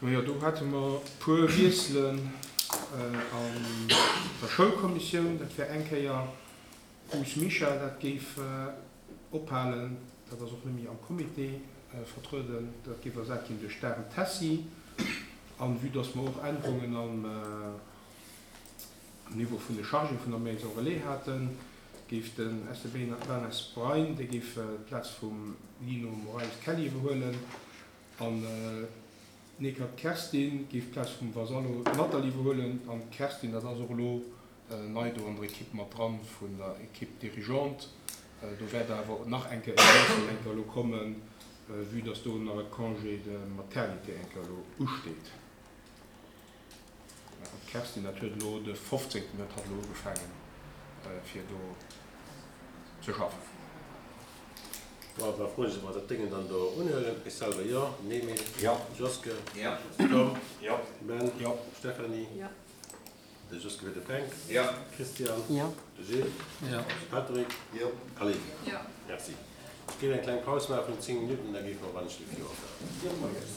Majo, do hate mer e puer Wiesselen an der Schoulkommissioun. Dat wär eng Kéier Huss Michel, dat géif ophalen, dat ass och net méi am Comité vertrueden, dat géif ersat ginn duerch d'Daren Tessy. An vue dass mer och Ännerungen am Niveau vun de Chargéë vun der Maison Relais haten, géif den Esteban Brein, dee géif d'Plaz vum Lino Moraes-Kelly iwwerhuelen. An d'Neckert Kerstin géif d'Plaz vum Vassallo Nathalie iwwerhuelen. An d'Kerstin, dat ass och elo nei do an der Equipe mat dran, vun der Equipe dirigeante. Do wäert awer nach eng Kéier e Wiessel eng Kéier elo kommen, vue dass do nach e Congé de maternité eng Kéier elo usteet. An d'Kerstin, dat huet elo de 15. huet hatt elo ugefaangen, fir do ze schaffen. Bon, da froen ech emol, dat Déngen dann do unhuelen. Ech selwer jo. Emil? Jo. Joske? Jo. Tom? Jo. Ben? Jo. Stéphanie? Jo. De Joske huet de Fränk. Jo. Christian? Jo. De Gilles? Jo. Patrick? Jo. Aline? Jo. Merci. Ech géif eng kleng Paus maache vun 10 Minutten, da géife mer wann ech de Fir ophalen.